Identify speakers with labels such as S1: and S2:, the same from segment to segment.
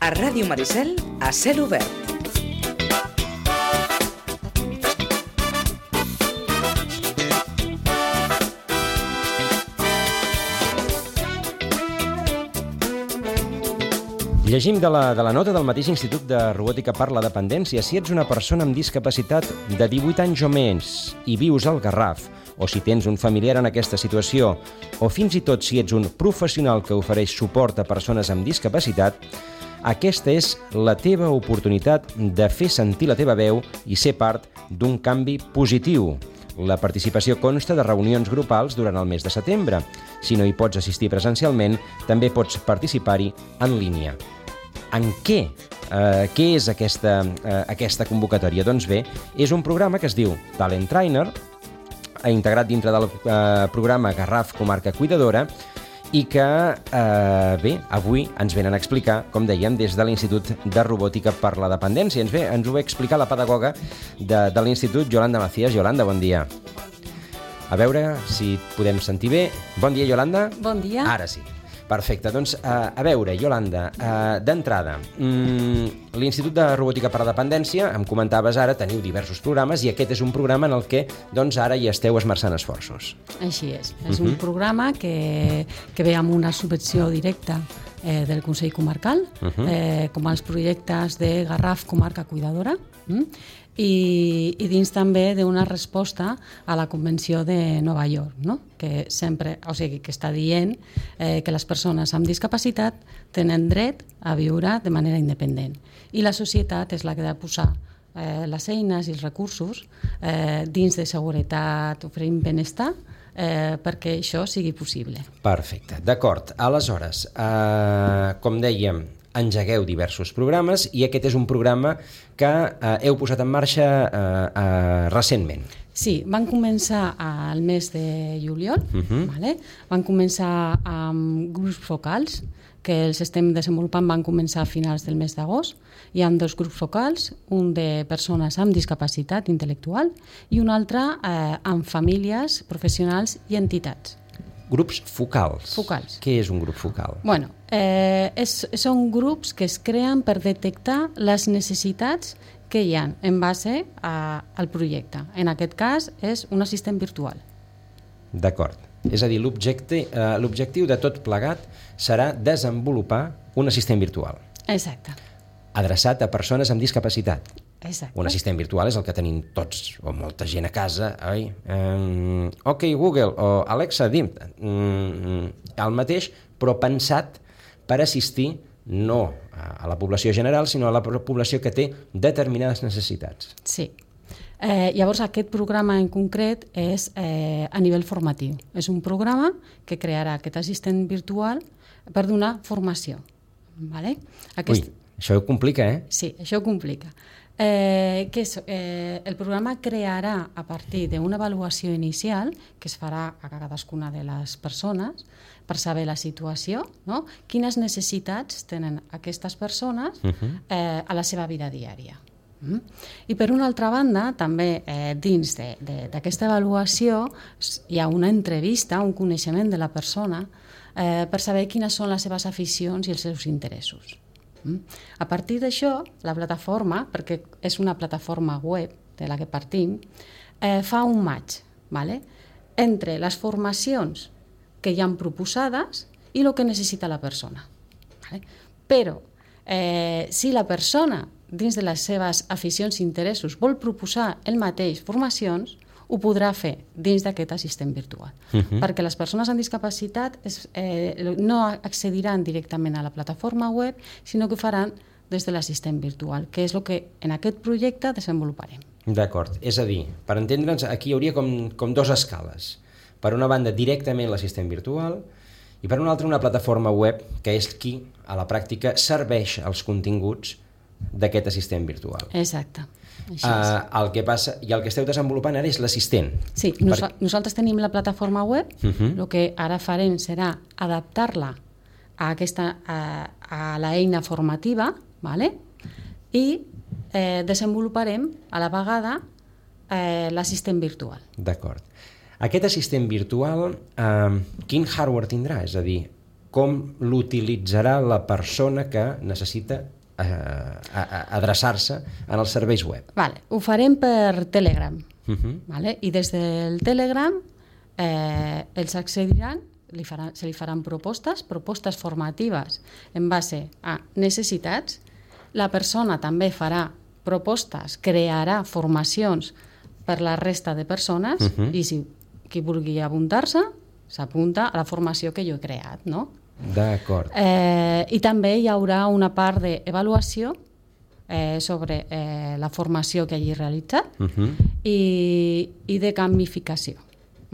S1: A Ràdio Maricel, a cel obert.
S2: Llegim de la nota del mateix Institut de Robòtica per la Dependència. Si ets una persona amb discapacitat de 18 anys o més i vius al Garraf, o si tens un familiar en aquesta situació, o fins i tot si ets un professional que ofereix suport a persones amb discapacitat, aquesta és la teva oportunitat de fer sentir la teva veu i ser part d'un canvi positiu. La participació consta de reunions grupals durant el mes de setembre. Si no hi pots assistir presencialment, també pots participar-hi en línia. En què? Què és aquesta convocatòria? Doncs bé, és un programa que es diu Talent Trainer, integrat dintre del programa Garraf Comarca Cuidadora, i que, avui ens venen a explicar, com dèiem, des de l'Institut de Robòtica per la Dependència. Ens ho ve a explicar la pedagoga de l'Institut, Yolanda Macías. Yolanda, bon dia. A veure si podem sentir bé. Bon dia, Yolanda.
S3: Bon dia.
S2: Ara sí. Perfecte. Doncs, a veure, Yolanda, d'entrada, l'Institut de Robòtica per la Dependència, em comentaves ara, teniu diversos programes i aquest és un programa en el que doncs, ara hi esteu esmerçant esforços.
S3: Així és. És un programa que ve amb una subvenció directa del Consell Comarcal, com els projectes de Garraf Comarca Cuidadora, i dins també d'una resposta a la Convenció de Nova York, no? Que sempre, o sigui, que està dient que les persones amb discapacitat tenen dret a viure de manera independent. I la societat és la que ha de posar les eines i els recursos dins de seguretat, oferint benestar, perquè això sigui possible.
S2: Perfecte, d'acord. Aleshores, com dèiem, engegueu diversos programes i aquest és un programa que heu posat en marxa recentment.
S3: Sí, van començar al mes de juliol, vale? Van començar amb grups focals que els estem desenvolupant, van començar a finals del mes d'agost. Hi ha 2 grups focals, un de persones amb discapacitat intel·lectual i un altre amb famílies, professionals i entitats.
S2: Grups focals.
S3: Focals.
S2: Què és un grup focal?
S3: Bueno, són grups que es creen per detectar les necessitats que hi ha en base al projecte. En aquest cas és un assistent virtual.
S2: D'acord. És a dir, l'objectiu de tot plegat serà desenvolupar un assistent virtual.
S3: Exacte.
S2: Adreçat a persones amb discapacitat.
S3: Exacte.
S2: Un assistent virtual és el que tenim tots, o molta gent a casa. Ok, Google, o Alexa, dim. El mateix, però pensat per assistir no a la població general, sinó a la població que té determinades necessitats.
S3: Sí. Llavors, aquest programa en concret és a nivell formatiu. És un programa que crearà aquest assistent virtual per donar formació. Vale?
S2: Ui, això ho complica, eh?
S3: Sí, això ho complica. El programa crearà a partir d'una avaluació inicial que es farà a cadascuna de les persones per saber la situació, no? Quines necessitats tenen aquestes persones a la seva vida diària. I per una altra banda, també dins d'aquesta avaluació hi ha una entrevista, un coneixement de la persona per saber quines són les seves aficions i els seus interessos. A partir d'això, la plataforma, perquè és una plataforma web de la que partim, fa un match, vale? Entre les formacions que hi han proposades i el que necessita la persona. Vale? Però si la persona, dins de les seves aficions i interessos, vol proposar el mateix formacions, ho podrà fer dins d'aquest assistent virtual. Perquè les persones amb discapacitat no accediran directament a la plataforma web, sinó que ho faran des de l'assistent virtual, que és el que en aquest projecte desenvoluparem.
S2: D'acord. És a dir, per entendre'ns, aquí hi hauria com 2 escales. Per una banda, directament l'assistent virtual, i per una altra, una plataforma web, que és qui, a la pràctica, serveix els continguts d'aquest assistent virtual.
S3: Exacte.
S2: El que passa, i el que esteu desenvolupant ara és l'assistent.
S3: Sí, nosaltres tenim la plataforma web, el que ara farem serà adaptar-la a l'eina formativa, vale? I desenvoluparem a la vegada l'assistent virtual.
S2: D'acord. Aquest assistent virtual, quin hardware tindrà? És a dir, com l'utilitzarà la persona que necessita adreçar-se en els serveis web.
S3: Vale. Ho farem per Telegram. Vale? I des del Telegram ells accediran, se li faran propostes formatives en base a necessitats. La persona també farà propostes, crearà formacions per la resta de persones i si qui vulgui apuntar-se s'apunta a la formació que jo he creat, no?
S2: D'acord.
S3: I també hi haurà una part d'avaluació sobre la formació que hagi realitzat i de gamificació.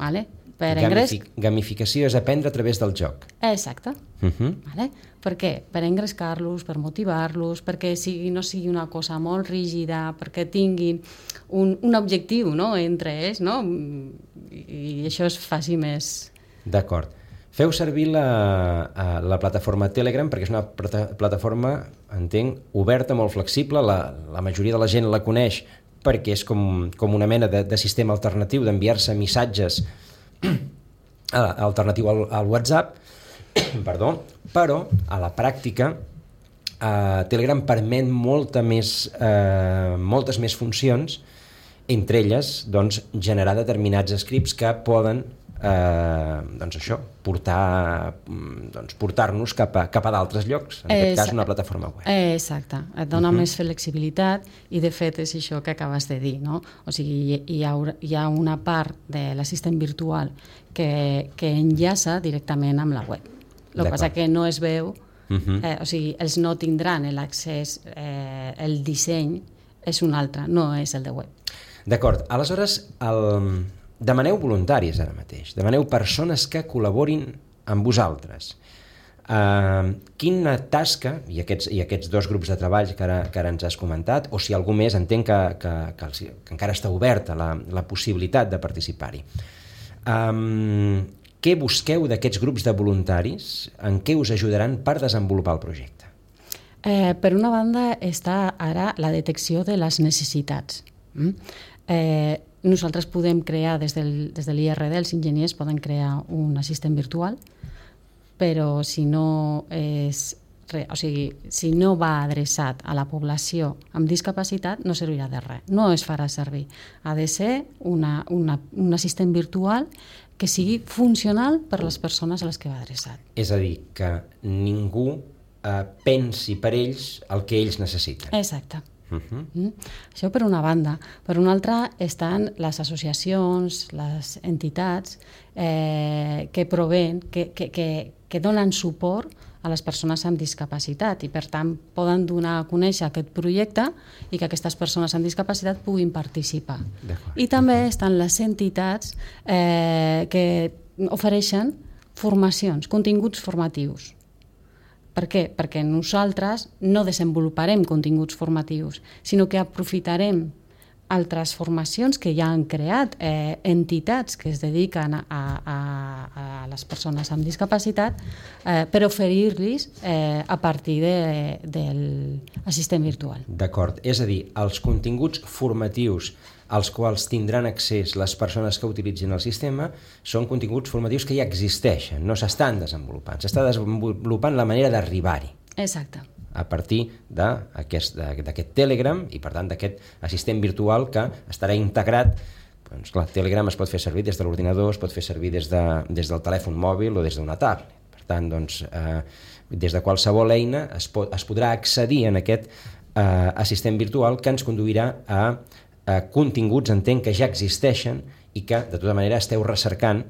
S3: Vale?
S2: Gamificació és aprendre a través del joc.
S3: Exacte. Vale? Per què? Per engrescar-los, per motivar-los, perquè no sigui una cosa molt rígida, perquè tinguin un objectiu, no?, entre ells, no? I això es faci més...
S2: D'acord. Feu servir la plataforma Telegram perquè és una plataforma, entenc, oberta, molt flexible. La majoria de la gent la coneix perquè és com una mena de sistema alternatiu d'enviar-se missatges alternatiu al WhatsApp, però a la pràctica Telegram permet moltes més funcions, entre elles doncs, generar determinats scripts que poden portar-nos cap a d'altres llocs, en aquest cas una plataforma web.
S3: Exacte, et dona més flexibilitat i de fet és això que acabes de dir, no? O sigui, hi ha una part de l'assistent virtual que enllaça directament amb la web. El que passa que no es veu, o sigui, ells no tindran l'accés, el disseny és un altre, no és el de web.
S2: D'acord, aleshores demaneu voluntaris ara mateix, demaneu persones que col·laborin amb vosaltres. Quina tasca, i aquests dos grups de treball que ara ens has comentat, o si algú més, entenc que encara està oberta la possibilitat de participar-hi. Què busqueu d'aquests grups de voluntaris? En què us ajudaran per desenvolupar el projecte?
S3: Per una banda està ara la detecció de les necessitats. Nosaltres podem crear, des de l'IRD, els enginyers poden crear un assistent virtual, però si no va adreçat a la població amb discapacitat no servirà de res, no es farà servir. Ha de ser un assistent virtual que sigui funcional per les persones a les que va adreçat.
S2: És a dir, que ningú pensi per ells el que ells necessiten.
S3: Exacte. Això per una banda. Per una altra estan les associacions, les entitats que proveen, que donen suport a les persones amb discapacitat i per tant poden donar a conèixer aquest projecte i que aquestes persones amb discapacitat puguin participar. I també estan les entitats que ofereixen formacions, continguts formatius. Per què? Perquè nosaltres no desenvoluparem continguts formatius, sinó que aprofitarem altres formacions que ja han creat entitats que es dediquen a les persones amb discapacitat per oferir-los a partir de l'assistent virtual.
S2: D'acord, és a dir, els continguts formatius als quals tindran accés les persones que utilitzin el sistema són continguts formatius que ja existeixen, no s'estan desenvolupant, s'està desenvolupant la manera d'arribar-hi.
S3: Exacte.
S2: A partir d'aquest Telegram i, per tant, d'aquest assistent virtual que estarà integrat. Doncs, clar, Telegram es pot fer servir des de l'ordinador, es pot fer servir des del telèfon mòbil o des d'una tablet. Per tant, doncs, des de qualsevol eina es podrà accedir en aquest assistent virtual que ens conduirà a continguts, entenc, que ja existeixen i que, de tota manera, esteu recercant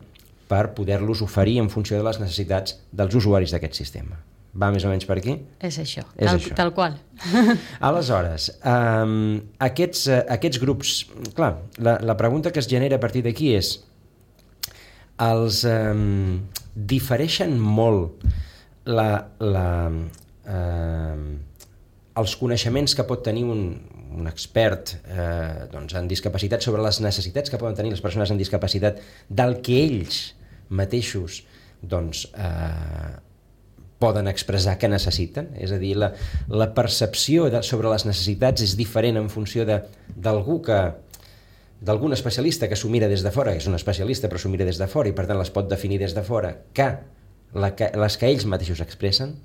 S2: per poder-los oferir en funció de les necessitats dels usuaris d'aquest sistema. Va més o menys per aquí?
S3: És això, tal qual.
S2: Aleshores, aquests grups... Clar, la pregunta que es genera a partir d'aquí és els difereixen molt els coneixements que pot tenir un expert en discapacitat sobre les necessitats que poden tenir les persones amb discapacitat del que ells mateixos poden expressar que necessiten, és a dir, la percepció sobre les necessitats és diferent en funció d'algun especialista que s'ho mira des de fora, que és un especialista però s'ho mira des de fora i per tant les pot definir des de fora, que les que ells mateixos expressen?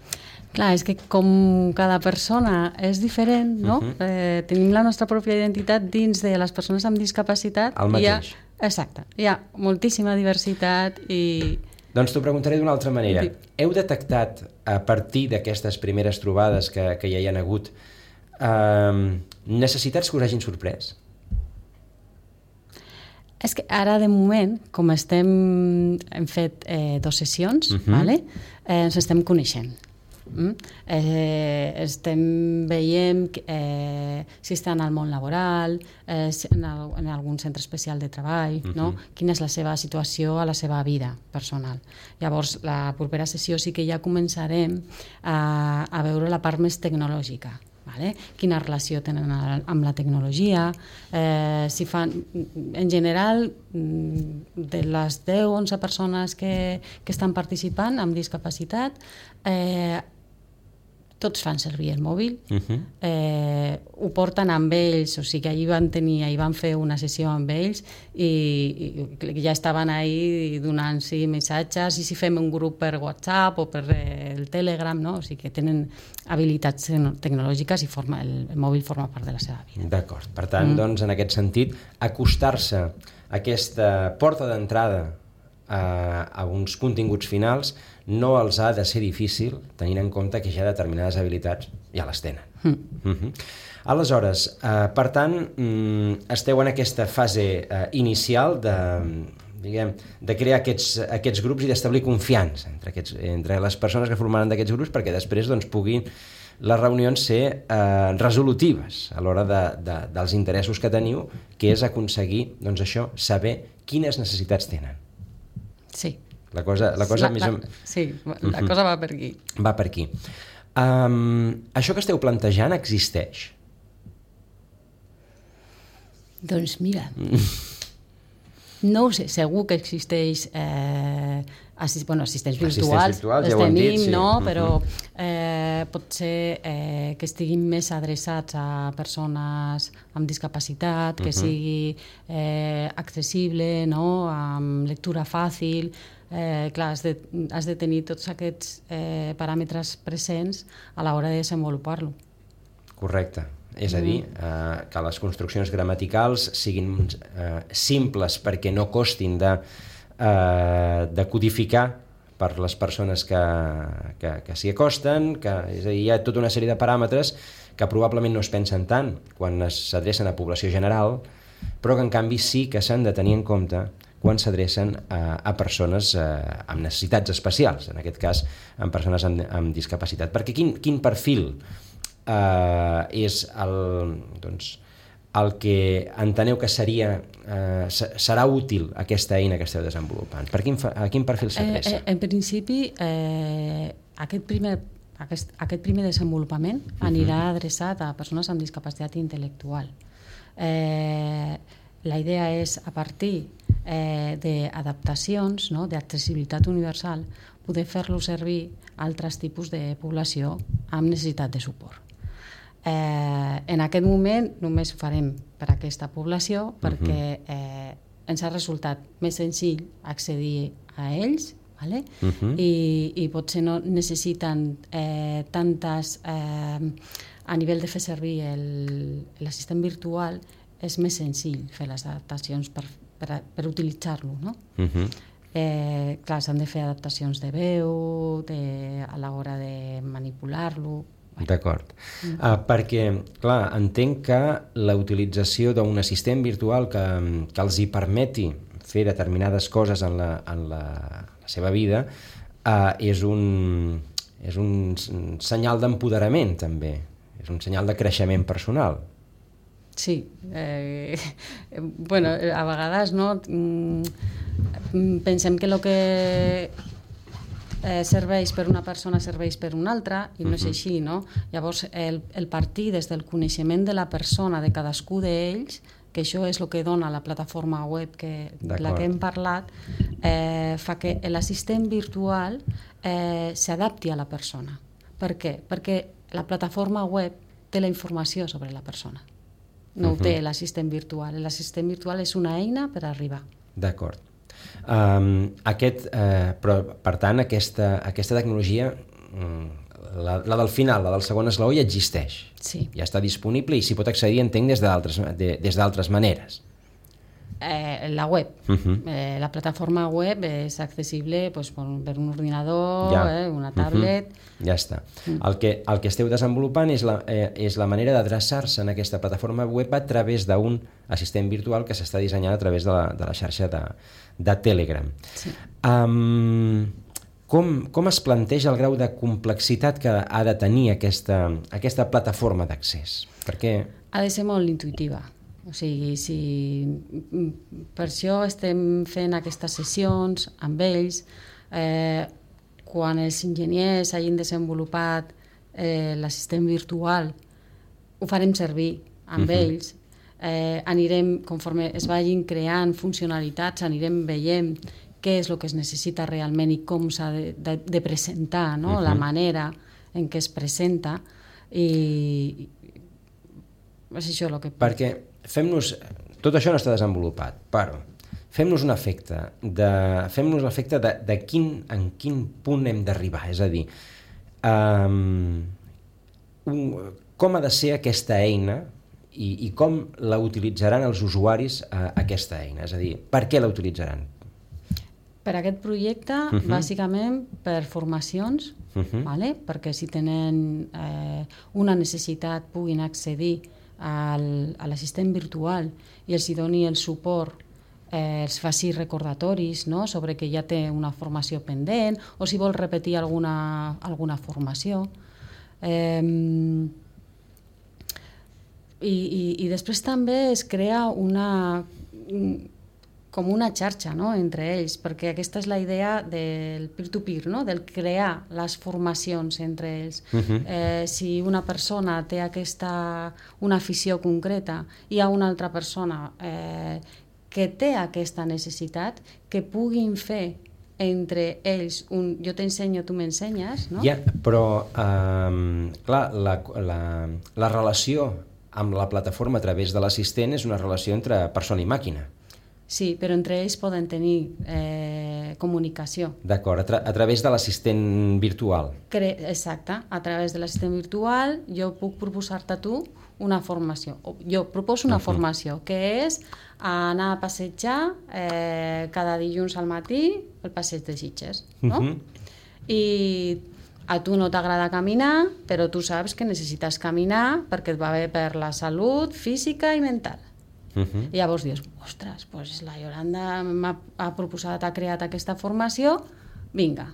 S3: Clar, és que com cada persona és diferent, no? Tenim la nostra pròpia identitat dins de les persones amb discapacitat.
S2: El mateix.
S3: Exacte. Hi ha moltíssima diversitat i...
S2: Doncs t'ho preguntaré d'una altra manera. Heu detectat, a partir d'aquestes primeres trobades que ja hi ha hagut, necessitats que us hagin sorprès?
S3: És que ara, de moment, com hem fet 2 sessions, vale? Ens estem coneixent. Estem veient si estan al món laboral, en algun centre especial de treball, no? Quina és la seva situació a la seva vida personal. Llavors, la propera sessió sí que ja començarem a veure la part més tecnològica. Vale? Quina relació tenen amb la tecnologia, si fan, en general, de les 10-11 persones que estan participant amb discapacitat, tots fan servir el mòbil, ho porten amb ells, o sigui que ahir van fer una sessió amb ells i ja estaven ahí donant-s'hi missatges, i si fem un grup per WhatsApp o per el Telegram, no? O sigui que tenen habilitats tecnològiques i el mòbil forma part de la seva vida.
S2: D'acord. Per tant, doncs, en aquest sentit, acostar-se a aquesta porta d'entrada a uns continguts finals no els ha de ser difícil, tenint en compte que ja determinades habilitats ja les tenen. Aleshores, per tant, esteu en aquesta fase inicial de crear aquests grups i d'establir confiança entre les persones que formaran d'aquests grups, perquè després puguin les reunions ser resolutives a l'hora dels interessos que teniu, que és aconseguir, saber quines necessitats tenen.
S3: Sí.
S2: La cosa
S3: Sí, la cosa va per aquí.
S2: Va per aquí. Això que esteu plantejant existeix?
S3: Doncs mira, no ho sé, segur que existeix assistents virtuals, els tenim, no? Però pot ser que estiguin més adreçats a persones amb discapacitat, que sigui accessible, no? Amb lectura fàcil. Clar, has de tenir tots aquests paràmetres presents a l'hora de desenvolupar-lo.
S2: Correcte. És a dir, que les construccions gramaticals siguin simples perquè no costin de codificar per les persones que s'hi acosten, és a dir, hi ha tota una sèrie de paràmetres que probablement no es pensen tant quan s'adrecen a població general, però que en canvi sí que s'han de tenir en compte quan s'adrecen a persones amb necessitats especials, en aquest cas amb persones amb discapacitat. Perquè quin perfil és el que enteneu que serà útil aquesta eina que esteu desenvolupant? A quin perfil s'adreça?
S3: En principi, aquest primer desenvolupament anirà adreçat a persones amb discapacitat intel·lectual. La idea és, a partir d'adaptacions, d'accessibilitat universal, poder fer-lo servir a altres tipus de població amb necessitat de suport. En aquest moment només ho farem per a aquesta població perquè ens ha resultat més senzill accedir a ells, i potser no necessiten tantes... A nivell de fer servir l'assistent virtual és més senzill fer les adaptacions per utilitzar-lo, no? Clar, s'han de fer adaptacions de veu a l'hora de manipular-lo.
S2: D'acord. Perquè, clar, entenc que la utilització d'un assistent virtual que els hi permeti fer determinades coses en la seva vida és un senyal d'empoderament, també. És un senyal de creixement personal.
S3: Sí. Bueno, a vegades, no? Pensem que el que serveix per una persona serveix per una altra, i no és així, no? Llavors, el partir des del coneixement de la persona, de cadascú d'ells, que això és el que dona la plataforma web de la que hem parlat, fa que l'assistent virtual s'adapti a la persona. Per què? Perquè la plataforma web té la informació sobre la persona. No ho té l'assistent virtual. L'assistent virtual és una eina per arribar.
S2: D'acord. Però, per tant, aquesta tecnologia la del final, la del segon esglaó, ja existeix.
S3: Sí.
S2: Ja està disponible i s'hi pot accedir, entenc, des d'altres maneres.
S3: La web. La plataforma web és accessible pues, per un ordinador, una tablet...
S2: Ja està. El que esteu desenvolupant és la manera d'adreçar-se en aquesta plataforma web a través d'un assistent virtual que s'està dissenyant a través de la xarxa de Telegram.
S3: Sí.
S2: Com es planteja el grau de complexitat que ha de tenir aquesta plataforma d'accés? Perquè...
S3: Ha de ser molt intuïtiva. O sigui, per això estem fent aquestes sessions amb ells. Quan els enginyers hagin desenvolupat l'assistent virtual, ho farem servir amb ells. Anirem, conforme es vagin creant funcionalitats, anirem veient què és el que es necessita realment i com s'ha de presentar, no? La manera en què es presenta. I és això el que...
S2: Perquè tot això no està desenvolupat, però fem-nos l'efecte de en quin punt hem d'arribar, és a dir, com ha de ser aquesta eina i com la utilitzaran els usuaris aquesta eina, és a dir, per què la utilitzaran?
S3: Per aquest projecte, bàsicament per formacions, perquè si tenen una necessitat puguin accedir a l'assistent virtual i els hi doni el suport, els faci recordatoris, no?, sobre que ja té una formació pendent o si vol repetir alguna formació. I després també es crea com una xarxa, no?, entre ells, perquè aquesta és la idea del peer-to-peer, no?, del crear les formacions entre ells. Si una persona té una afició concreta i hi ha una altra persona que té aquesta necessitat, que puguin fer entre ells jo t'ensenyo, tu m'ensenyes, no?
S2: Ja, però, clar, la relació amb la plataforma a través de l'assistent és una relació entre persona i màquina.
S3: Sí, però entre ells poden tenir comunicació.
S2: D'acord, a través de l'assistent virtual.
S3: Exacte, a través de l'assistent virtual jo puc proposar-te a tu una formació. Jo proposo una formació, que és anar a passejar cada dilluns al matí el passeig de Sitges, no? I a tu no t'agrada caminar, però tu saps que necessites caminar perquè et va bé per la salut física i mental. I llavors dius, ostres, doncs la Yolanda ha proposat, ha creat aquesta formació, vinga,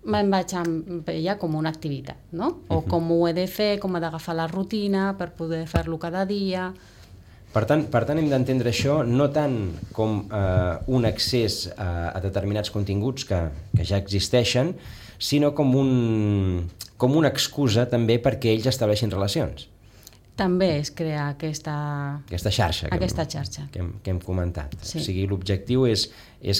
S3: me'n vaig amb ella com una activitat, no? O com ho he de fer, com he d'agafar la rutina per poder fer-lo cada dia.
S2: Per tant, hem d'entendre això no tant com un accés a determinats continguts que ja existeixen, sinó com una excusa també perquè ells estableixin relacions.
S3: També es crea aquesta
S2: xarxa que hem comentat.
S3: Sí.
S2: O sigui, l'objectiu és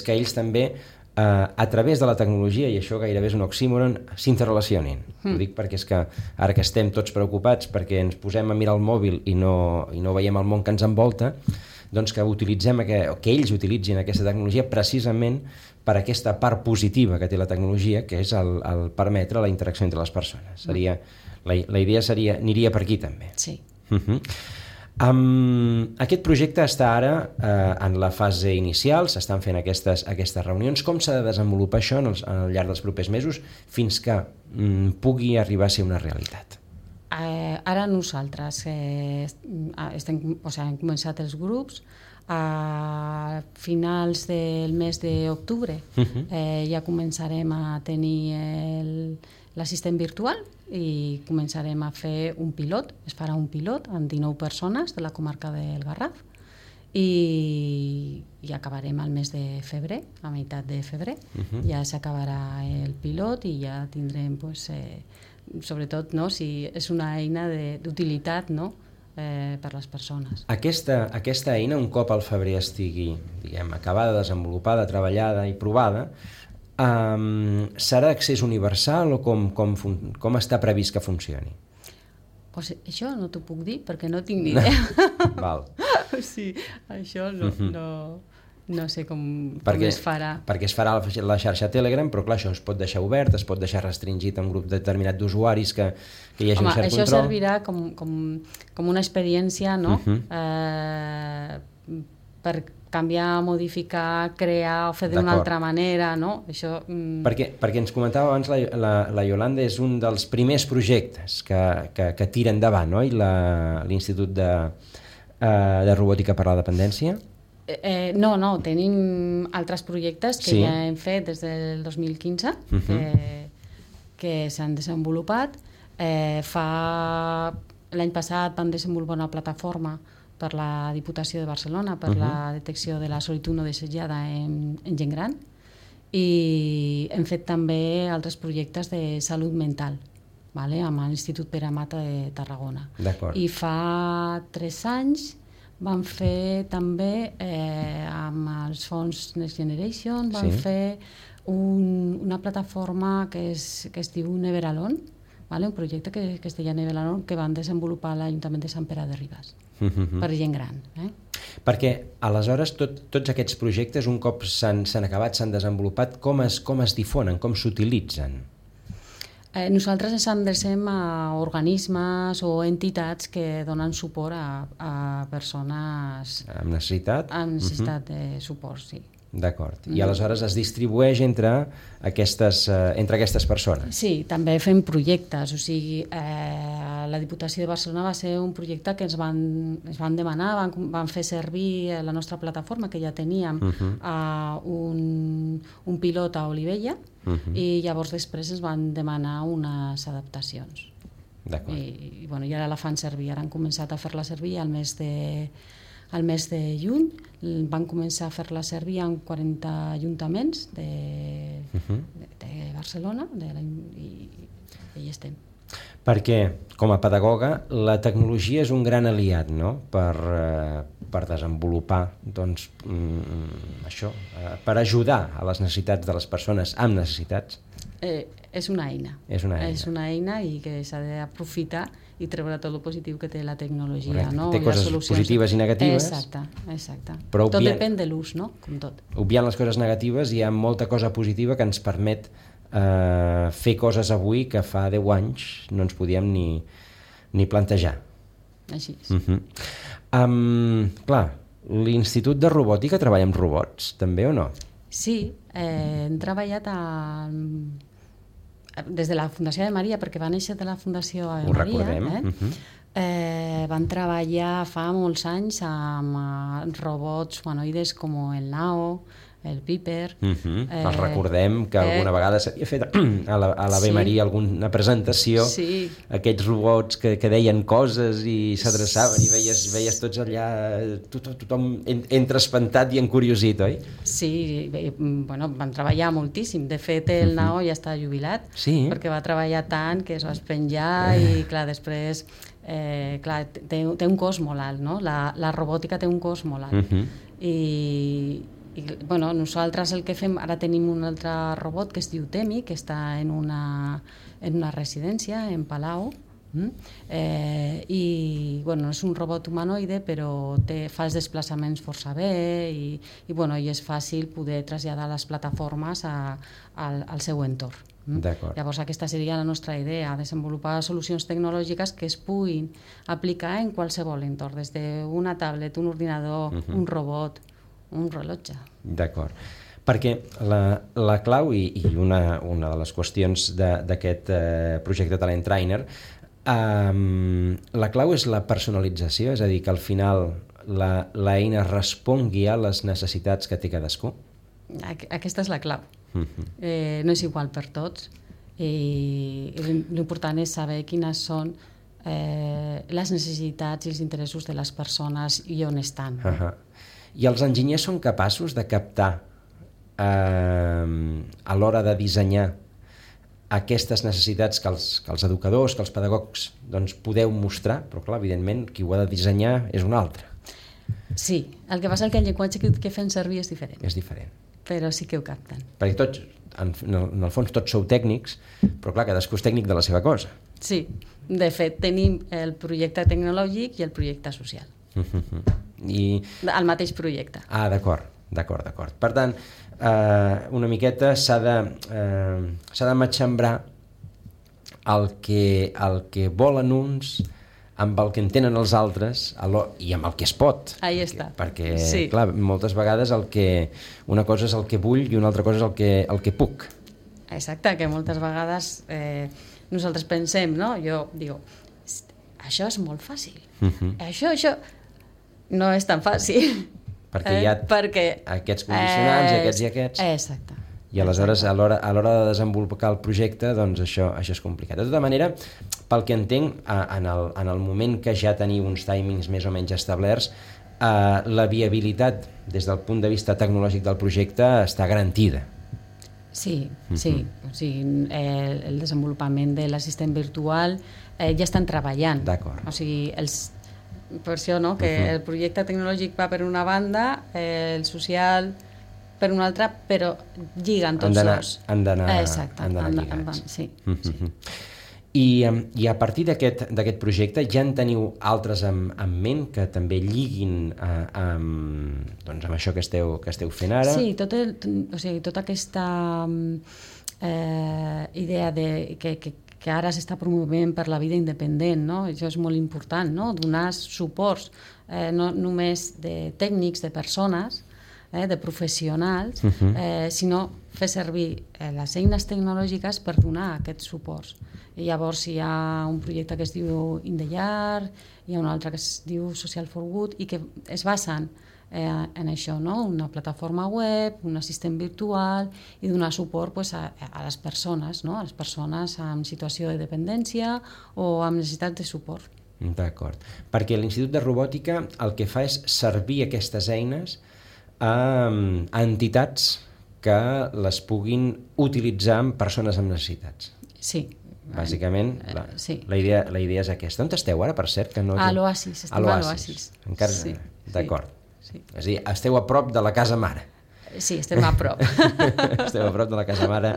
S2: que ells també, a través de la tecnologia, i això gairebé és un oxímoron, s'interrelacionin. Ho dic perquè és que ara que estem tots preocupats perquè ens posem a mirar el mòbil i no veiem el món que ens envolta, doncs que ells utilitzin aquesta tecnologia precisament per aquesta part positiva que té la tecnologia, que és el permetre la interacció entre les persones. La idea aniria per aquí també.
S3: Sí.
S2: Aquest projecte està ara en la fase inicial, s'estan fent aquestes reunions. Com s'ha de desenvolupar això al llarg dels propers mesos fins que pugui arribar a ser una realitat?
S3: Ara nosaltres hem començat els grups a finals del mes d'octubre. Ja començarem a tenir l'assistent virtual i començarem a fer un pilot. Es farà un pilot amb 19 persones de la comarca del Garraf i acabarem al mes de febrer, a meitat de febrer. Ja s'acabarà el pilot i ja tindrem, sobretot, si és una eina d'utilitat, per les persones.
S2: Aquesta eina, un cop al febrer estigui acabada, desenvolupada, treballada i provada, serà d'accés universal o com està previst que funcioni?
S3: Pues això no t'ho puc dir perquè no tinc ni idea.
S2: Val.
S3: Sí, això no sé com
S2: perquè
S3: es farà.
S2: Perquè es farà la xarxa Telegram, però clar, això es pot deixar obert, es pot deixar restringit a un grup determinat d'usuaris que hi hagi un cert
S3: això
S2: control.
S3: servirà com una experiència, no? Per canviar, modificar, crear o fer d'una altra manera, no? Això...
S2: Perquè ens comentava abans la Yolanda, és un dels primers projectes que tira endavant, no? L'Institut de Robòtica per la Dependència.
S3: No, tenim altres projectes que ja hem fet des del 2015 que s'han desenvolupat. L'any passat vam desenvolupar una plataforma per la Diputació de Barcelona per la detecció de la solitud no desitjada en gent gran, i hem fet també altres projectes de salut mental, amb l'Institut Pere Mata de Tarragona. I fa 3 anys vam fer també amb els fons Next Generation fer una plataforma que es diu Never Alone, un projecte que es deia Never Alone, que van desenvolupar a l'Ajuntament de Sant Pere de Ribes per gent gran.
S2: Perquè aleshores tots aquests projectes, un cop s'han acabat, s'han desenvolupat, com es difonen, com s'utilitzen?
S3: Nosaltres ens endrecem a organismes o entitats que donen suport a persones
S2: amb necessitat
S3: de suport, sí.
S2: D'acord. I aleshores es distribueix entre aquestes persones?
S3: Sí, també fem projectes. O sigui, la Diputació de Barcelona va ser un projecte que ens van demanar, van fer servir la nostra plataforma, que ja teníem, un pilot a Olivella, i llavors després ens van demanar unes adaptacions.
S2: D'acord.
S3: I ara la fan servir. Ara han començat a fer-la servir al mes de juny. Van començar a fer-la servir en 40 ajuntaments de Barcelona i hi estem.
S2: Perquè, com a pedagoga, la tecnologia és un gran aliat, no?, per desenvolupar, doncs, això, per ajudar a les necessitats de les persones amb necessitats.
S3: És una eina. És una eina i que s'ha d'aprofitar i treure tot el positiu que té la tecnologia.
S2: Té coses positives i negatives.
S3: Exacte.
S2: Tot
S3: depèn de l'ús, no? Com tot.
S2: Obviant les coses negatives, hi ha molta cosa positiva que ens permet fer coses avui que fa 10 anys no ens podíem ni plantejar.
S3: Així és.
S2: Clar, l'Institut de Robòtica treballa amb robots, també o no?
S3: Sí, hem treballat des de la Fundació Ave Maria, perquè va néixer de la Fundació Ave Maria.
S2: Ho recordem.
S3: Van treballar fa molts anys amb robots humanoides com el Nao, el Piper.
S2: Els recordem que alguna vegada s'havia fet a l'Ave Maria alguna presentació, aquests robots que deien coses i s'adreçaven i veies tots allà, tothom entre espantat i encuriosit, oi?
S3: Sí, van treballar moltíssim. De fet, el Nao ja està jubilat, perquè va treballar tant que es va espenjar i, clar, després... té un cost molt alt, no? La robòtica té un cost molt alt. I nosaltres el que fem, ara tenim un altre robot que es diu Temi, que està en una residència en Palau, i és un robot humanoide, però fa els desplaçaments força bé i és fàcil poder traslladar les plataformes al seu entorn. Llavors aquesta seria la nostra idea, desenvolupar solucions tecnològiques que es puguin aplicar en qualsevol entorn, des d'una tablet, un ordinador, un robot, un rellotge.
S2: D'acord. Perquè la clau i una de les qüestions d'aquest projecte Talent Trainer, la clau és la personalització, és a dir, que al final l'eina respongui a les necessitats que té cadascú.
S3: Aquesta és la clau. No és igual per tots i l'important és saber quines són les necessitats i els interessos de les persones i on estan.
S2: I els enginyers són capaços de captar a l'hora de dissenyar aquestes necessitats que els educadors, que els pedagogs podeu mostrar, però clar, evidentment, qui ho ha de dissenyar és un altre.
S3: Sí, el que passa és que el llenguatge que fem servir és diferent.
S2: És diferent.
S3: Però sí que ho capten.
S2: Perquè tots, en el fons, tots sou tècnics, però clar, cadascú és tècnic de la seva cosa.
S3: Sí, de fet, tenim el projecte tecnològic i el projecte social. El mateix projecte.
S2: D'acord. D'acord. Per tant, una miqueta s'ha de matxembrar el que volen uns amb el que entenen els altres i amb el que es pot.
S3: Ahí està.
S2: Perquè,
S3: sí.
S2: Clar, moltes vegades una cosa és el que vull i una altra cosa és el que puc.
S3: Exacte, que moltes vegades nosaltres pensem, no? Jo dic, això és molt fàcil. Això no és tan fàcil.
S2: Perquè hi ha aquests condicionants i aquests.
S3: Exacte.
S2: I aleshores, a l'hora de desenvolupar el projecte, doncs això és complicat. De tota manera, pel que entenc, en el moment que ja teniu uns timings més o menys establerts, la viabilitat des del punt de vista tecnològic del projecte està garantida.
S3: Sí. O sigui, el desenvolupament de l'assistent virtual ja estan treballant.
S2: D'acord.
S3: O sigui, per això, no?, que el projecte tecnològic va per una banda, el social per una altra, però lliguen tots dos.
S2: Han d'anar
S3: lligats. Sí.
S2: I a partir d'aquest projecte ja en teniu altres en ment que també lliguin amb això que esteu fent ara?
S3: Sí, tota aquesta idea que ara s'està promovent per la vida independent, no? Això és molt important, no? Donar suports no només de tècnics, de persones, de professionals, sinó fer servir les eines tecnològiques per donar aquests suports. I llavors hi ha un projecte que es diu In the Yard, hi ha un altre que es diu Social for Good, i que es basen en això, no? Una plataforma web, un assistent virtual, i donar suport a les persones, no? A les persones en situació de dependència o amb necessitat de suport.
S2: D'acord. Perquè l'Institut de Robòtica el que fa és servir aquestes eines a entitats que les puguin utilitzar amb persones amb necessitats.
S3: Sí.
S2: Bàsicament, la idea és aquesta. On esteu ara, per cert?
S3: A l'Oasis, estem a l'Oasis.
S2: Encara? Sí. D'acord. Sí. És a dir, esteu a prop de la casa mare.
S3: Sí, estem a prop.
S2: Esteu a prop de la casa mare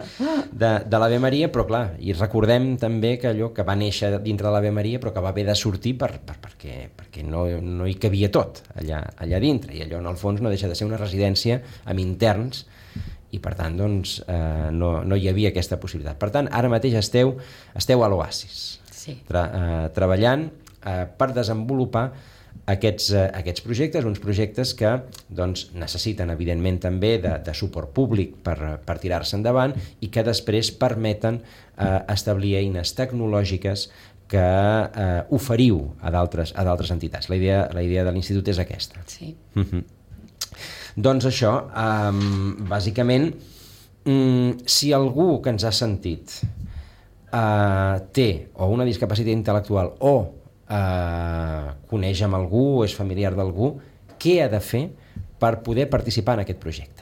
S2: de l'Ave Maria, però clar, i recordem també que allò que va néixer dintre de l'Ave Maria però que va haver de sortir perquè no hi cabia tot allà dintre, i allò en el fons no deixa de ser una residència amb interns, i per tant doncs, no hi havia aquesta possibilitat. Per tant, ara mateix esteu a l'Oasis, treballant per desenvolupar aquests projectes, uns projectes que doncs, necessiten evidentment també de suport públic per tirar-se endavant, i que després permeten establir eines tecnològiques que oferiu a d'altres entitats. La idea de l'Institut és aquesta.
S3: Sí.
S2: Doncs això, bàsicament, si algú que ens ha sentit té o una discapacitat intel·lectual o coneix amb algú o és familiar d'algú, què ha de fer per poder participar en aquest projecte?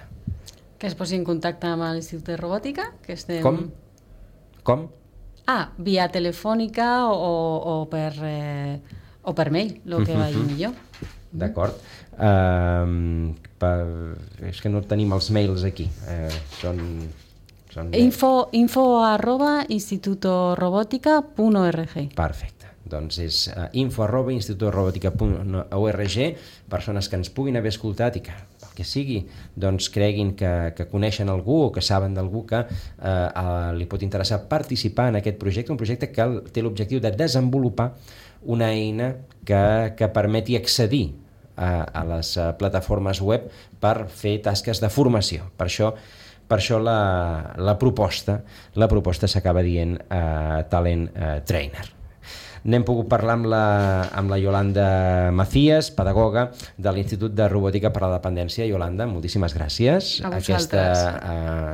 S3: Que es posi en contacte amb l'Institut de Robòtica, que estem...
S2: Com?
S3: Via telefònica o per mail, el que vagi millor.
S2: D'acord. És que no tenim els mails aquí.
S3: info@institutorobótica.org.
S2: Perfecte. Doncs és info@institutorobótica.org, persones que ens puguin haver escoltat i que el que sigui doncs creguin que coneixen algú o que saben d'algú que li pot interessar participar en aquest projecte, un projecte que té l'objectiu de desenvolupar una eina que permeti accedir a les plataformes web per fer tasques de formació. Per això la proposta s'acaba dient Talent Trainer. N'hem pogut parlar amb la Yolanda Macías, pedagoga de l'Institut de Robòtica per a la Dependència. Yolanda, moltíssimes gràcies.
S3: A vosaltres.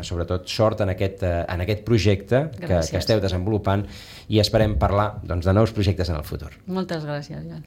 S2: Sobretot sort en aquest projecte que esteu desenvolupant, i esperem parlar de nous projectes en el futur.
S3: Moltes gràcies, Joan.